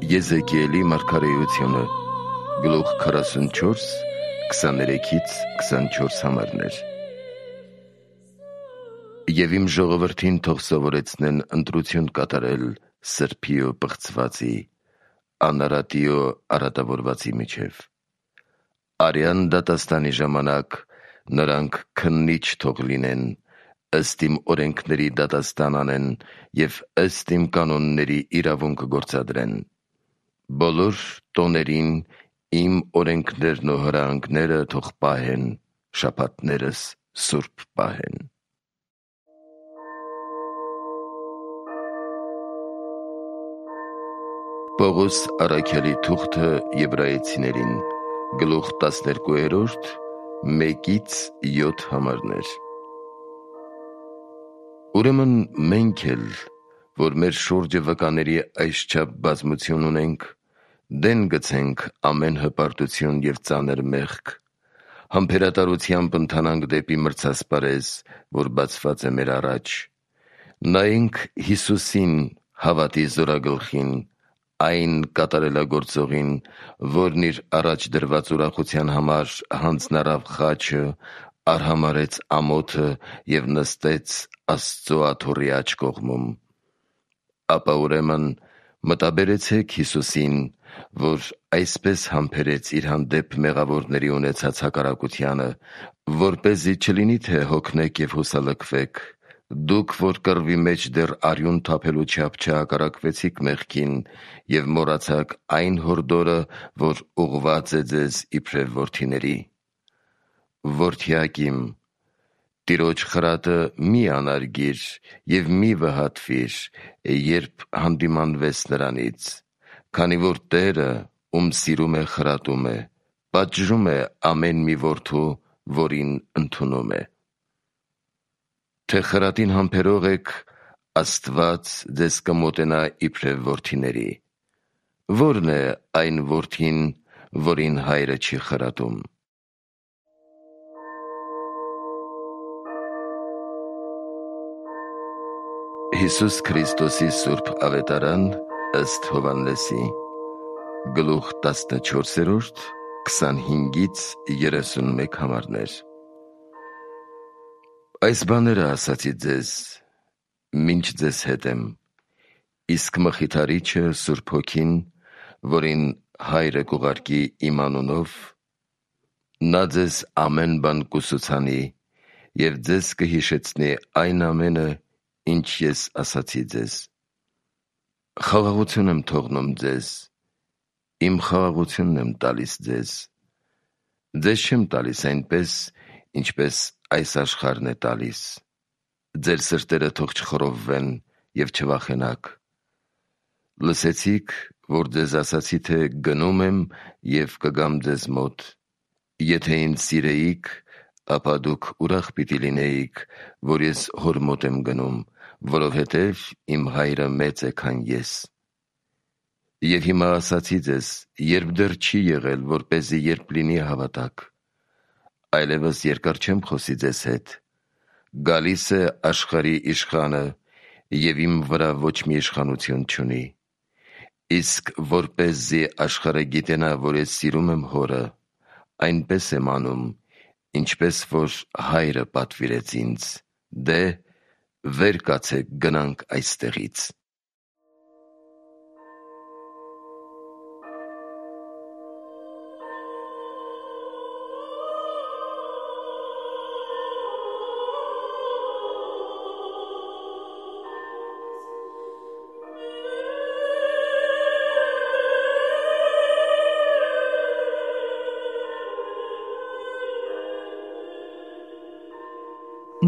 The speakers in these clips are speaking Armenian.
Եզեկիելի մարգարեությունը, գլուխ 44, 23-24 համարներ։ Եվ իմ ժողովրդին թող սովորեցնեն ընտրություն կատարել սրբի ու պղծվածի, անարատի ու արատավորվածի միջև։ Արյան դատաստանի ժամանակ նրանք քննիչ թող լինեն, ըստ իմ օրենքների դատաստան անեն և ըստ իմ կանոնների իրավունք գործադրեն։ Բոլոր տոներին իմ օրենքներն ու հրահանգները թող պահեն, շաբաթներս սուրբ պահեն։ Պողոս առաքյալի թուղթը Եբրայեցիներին, գլուխ 12, 1-7 համարներ։ Ուրեմն մենք էլ, որ մեր շուրջը վկաների այսչափ բազմություն ունենք, դեն գցենք ամեն հպարտություն և ծանր մեղք, համբերատարությամբ ընթանանք դեպի մրցասպարեզ, որ բացված է մեր առաջ։ Նայենք Հիսուսին, հավատի զորագլխին, այն կատարելագործողին, որն իր առաջ դրված ուրախության համար հանձնարավ խաչը, արհամարհեց ամոթը և նստեց Աստծու աթոռի աջ կողմում։ Ապա ուրեմն մտաբերեցեք Հիսուսին, որ այսպես համբերեց իր հանդեպ մեղավորների ունեցած հակառակությանը, որպեսզի չլինի թե հոգնեք և հուսալքվեք, դուք, որ կռվի մեջ դեռ արյուն թափելու չափ չհակառակվեցիք մեղքին և մոռացաք այն հորդորը, որ ուղղված է ձեզ իբրև որդիների։ Որդյակ իմ, Տիրոջ խրատը մի անարգիր և մի վհատվիր, երբ հանդիմանվես նրանից, քանի որ Տերը, ում սիրում է, խրատում է, պատժում է ամեն մի որդու, որին ընդունում է։ Թե խրատին համբերող եք, Աստված ձեզ կմոտենա իբրև որդիների։ Ո՞րն է այն որդին, որին հայրը չի խրատում։ Հիսուս Քրիստոսի սուրբ ավետարան ըստ Հովհաննեսի, գլուխ 14, 25-31 համարներ։ Այս բաները ասացի ձեզ, մինչ ձեզ հետ եմ, իսկ Մխիթարիչը, Սուրբ Հոգին, որին Հայրը կուղարկի իմ անունով, նա ձեզ ամեն բան կուսուցանի և ձեզ կհիշեցնի այն ամենը, ինչ ես ասացի ձեզ։ Խաղաղություն եմ թողնում ձեզ, իմ խաղաղությունն եմ տալիս ձեզ։ Ձեզ չեմ տալիս այնպես, ինչպես այս աշխարհն է տալիս։ Ձեր սրտերը թող չխռովվեն և չվախենաք։ Լսեցիք, որ ձեզ ասացի, թե գնում եմ և կգամ ձեզ մոտ։ Եթե ինձ սիրեիք, ապա դուք ուրախ պիտի լինեիք, որ ես հոր մոտ եմ գնում, որովհետև իմ Հայրը մեծ է, քան ես։ Եվ հիմա ասացի ձեզ, երբ դեռ չի եղել, որպեսզի երբ լինի հավատաք։ Այլևս երկար չեմ խոսի ձեզ հետ։ Գալիս է աշխարհի իշխանը, և իմ վրա ոչ մի իշխանություն չունի։ Իսկ որպեսզի աշխարհը գիտենա, որ ես սիրում եմ Հորը, այնպես եմ անում, ինչպես որ Հայրը պատվիրեց ինձ։ Դե, վեր կացեք, գնանք այստեղից։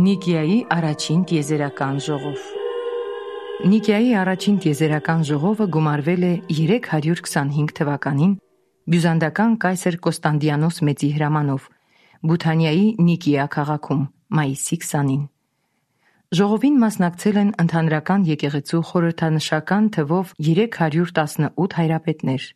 Նիկիայի առաջին տիեզերական ժողով։ Նիկիայի առաջին տիեզերական ժողովը գումարվել է 325 թվականին բյուզանդական կայսր Կոստանդիանոս մեծի հրամանով Բութանիայի Նիկիա քաղաքում մայիսի 20-ին։ Ժողովին մասնակցել են ընդհանրական եկեղեցու խորհրդանշական թվով 318 հայրապետներ,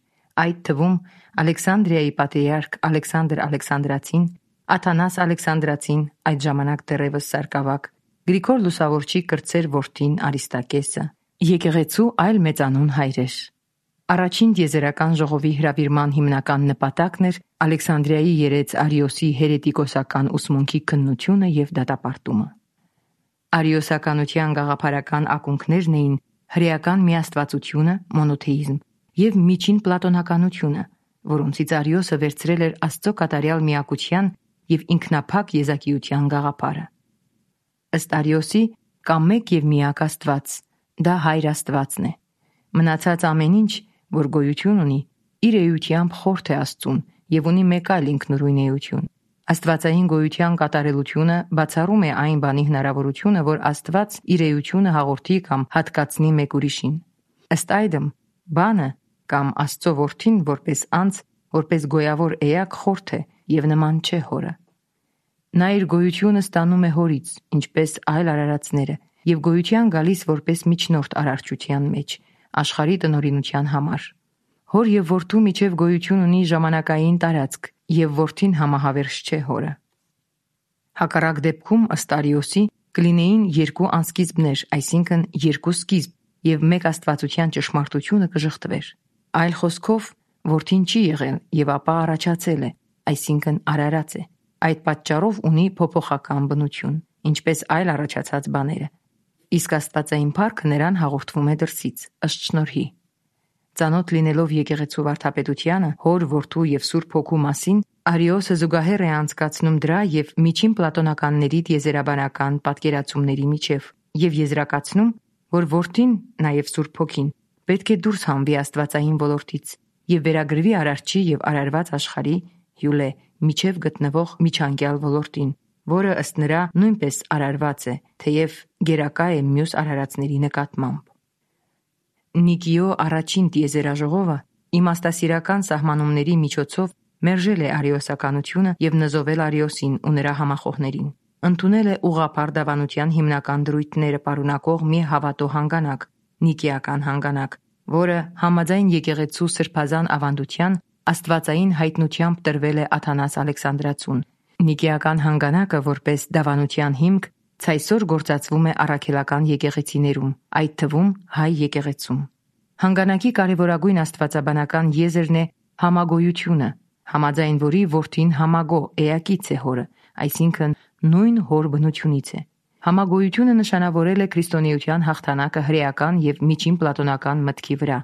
այդ թվում Ալեքսանդրիայի պատրիարք Ալեքսանդր Ալեքսանդրացին, Աթանաս Ալեքսանդրացին, այդ ժամանակ դեռևս սարկավակ, Գրիգոր Լուսավորչի կրտսեր որդին Արիստակեսը, եկեղեցու այլ մեծանուն հայրեր։ Առաջին տիեզերական ժողովի հրավիրման հիմնական նպատակն էր Ալեքսանդրիայի երեց Արիոսի հերետիկոսական ուսմունքի քննությունը եւ դատապարտումը։ Արիոսականության գաղափարական ակունքներն էին հրեական միաստվածությունը, մոնոթեիզմ եւ միջին պլատոնականությունը, որոնցից Արիոսը վերցրել էր Աստծո կատարյալ միակության եւ ինքնափակ եզակիության գաղափարը։ Ըստ Արիոսի կա մեկ եւ միակ Աստված, դա Հայր Աստվածն է։ Մնացած ամեն ինչ, որ գոյություն ունի, իր էությամբ խորթ է Աստծուն եւ ունի մեկ այլ ինքնուրույն էություն։ Աստվածային գոյության կատարելությունը բացառում է այն բանի հնարավորությունը, որ Աստված իր էությունը հաղորդի կամ հատկացնի մեկ ուրիշին։ Ըստ այդմ, բանը կամ Աստծո որդին որպես անձ, որպես գոյավոր էակ խորթ է եւ նման չէ հորը։ Նա իր գոյությունը ստանում է հորից, ինչպես այլ արարածները, եւ գոյության գալիս որպես միջնորդ արարչության մեջ, աշխարհի տնօրինության համար։ Հոր եւ որդու միջև գոյություն ունի ժամանակային տարածք, եւ որդին համահավերժ չէ հորը։ Հակառակ դեպքում, ըստ Արիոսի, կլինեին երկու անսկիզբներ, այսինքն երկու սկիզբ, եւ մեկ աստվածության ճշմարտությունը կժխտվեր։ Այլ խոսքով, որդին չի եղել եւ ապա առաջացել է, այսինքն արարած է։ Այդ պատճառով ունի փոփոխական բնություն, ինչպես այլ առաջացած բաները։ Իսկ աստվածային փառքը նրան հաղորդվում է դրսից, ըստ շնորհի։ Ծանոթ լինելով եկեղեցու վարդապետությանը, հոր, որդու եւ Սուրբ Հոգու մասին, Արիոսը զուգահեռ է անցկացնում դրա եւ միջին պլատոնականների տիեզերաբանական պատկերացումների միջև եւ եզրակացնում, որ որդին, նաեւ Սուրբ Հոգին, պետք է դուրս հանվի աստվածային ոլորտից եւ վերագրվի արարչի եւ արարված աշխարհի հյուլե միջև գտնվող միջանկյալ ոլորտին, որը ըստ նրա նույնպես արարված է, թեև գերակա է մյուս արարածների նկատմամբ։ Նիկիո առաջին տիեզերաժողովը իմաստասիրական սահմանումների միջոցով մերժել է արիոսականությունը եւ նզովել Արիոսին ու նրա համախոհներին։ Ընդունել է ուղղափառ դավանության հիմնական դրույթները պարունակող մի հավատո հանգանակ, նիկեական հանգանակ, որը համաձայն եկեղեցու սրբազան ավանդության աստվածային հայտնությամբ տրվել է Աթանաս Ալեքսանդրացուն։ Նիկեական հանգանակը որպես դավանության հիմք ցայսօր գործածվում է առաքելական եկեղեցիներում, այդ թվում հայ եկեղեցում։ Հանգանակի կարևորագույն աստվածաբանական եզրն է համագոյությունը, համաձայն որի որդին համագո էակից է հորը, այսինքն նույն հոր բնությունից է։ Համագոյությունը նշանավորել է քրիստոնեության հաղթանակը հրեական եւ միջին պլատոնական մտքի վրա,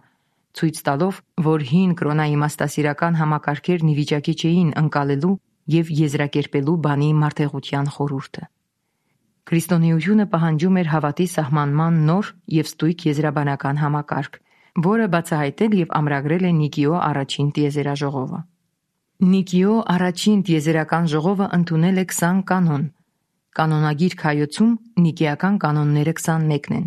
ցույց տալով, որ հին կրոնաիմաստասիրական համակարգերն ի վիճակի չէին ընկալելու եւ եզրակերպելու բանի մարդեղության խորհուրդը։ Քրիստոնեությունը պահանջում էր հավատի սահմանման նոր եւ ստույգ եզրաբանական համակարգ, որը բացահայտել եւ ամրագրել է Նիկիո առաջին տիեզերաժողովը։ Նիկիո առաջին տիեզերական ժողովը ընդունել է 20 կանոն։ Կանոնագիր Հայոցում նիկեական կանոնները 21-ն են,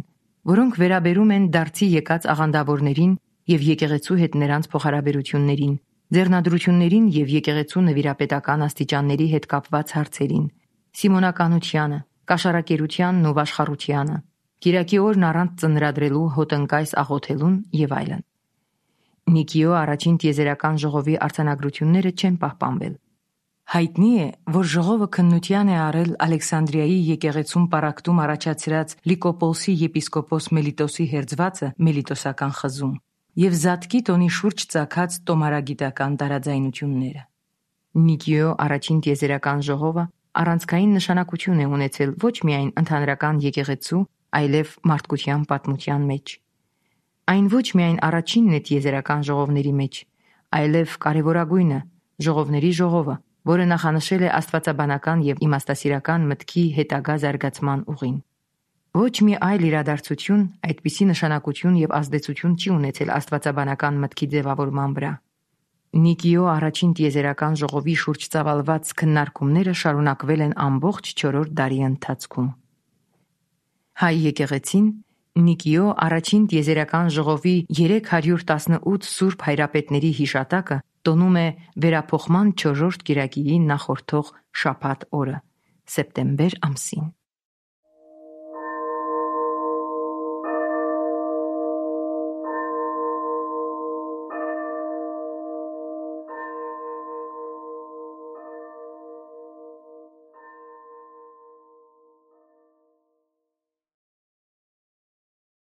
որոնք վերաբերում են դարձի եկած աղանդավորներին եւ եկեղեցու հետ նրանց փոխհարաբերություններին, ձեռնադրություններին եւ եկեղեցու նվիրապետական աստիճանների հետ կապված հարցերին, սիմոնականությանը, կաշառակերությանն ու վաշխառությանը, Կիրակի օրն առանց ծնրադրելու հոտնկայս աղոթելուն եւ այլն։ Նիկիո առաջին տիեզերական ժողովի արձանագրությունները չեն պահպանվել։ Հայտնի է, որ ժողովը քննության է առել Ալեքսանդրիայի եկեղեցում պառակտում առաջացրած Լիկոպոլսի եպիսկոպոս Մելիտոսի հերձվածը Մելիտոսական խզում եւ Զատկի տոնի շուրջ ծագած տոմարագիտական տարաձայնությունները։ Նիկիո առաջին տիեզերական ժողովը առանցքային նշանակություն է ունեցել ոչ միայն ընդհանրական եկեղեցու, այլև մարդկության պատմության մեջ։ Այն ոչ միայն առաջինն է տիեզերական ժողովների մեջ, այլև կարևորագույնը, ժողովների ժողովը, որը նախանշել է աստվածաբանական եւ իմաստասիրական մտքի հետագա զարգացման ուղին։ Ոչ մի այլ իրադարձություն այդպիսի նշանակություն եւ ազդեցություն չի ունեցել աստվածաբանական մտքի ձևավորման վրա։ Նիկիո առաջին տիեզերական ժողովի շուրջ ծավալված քննարկումները շարունակվել են ամբողջ 4-րդ դարի ընթացքում։ Հայ եկեղեցին Նիկիո առաջին տիեզերական ժողովի 318 սուրբ հայրապետների հիշատակը տոնում է վերափոխման 4-րդ կիրակիին նախորդող շաբաթ օրը, սեպտեմբեր ամսին։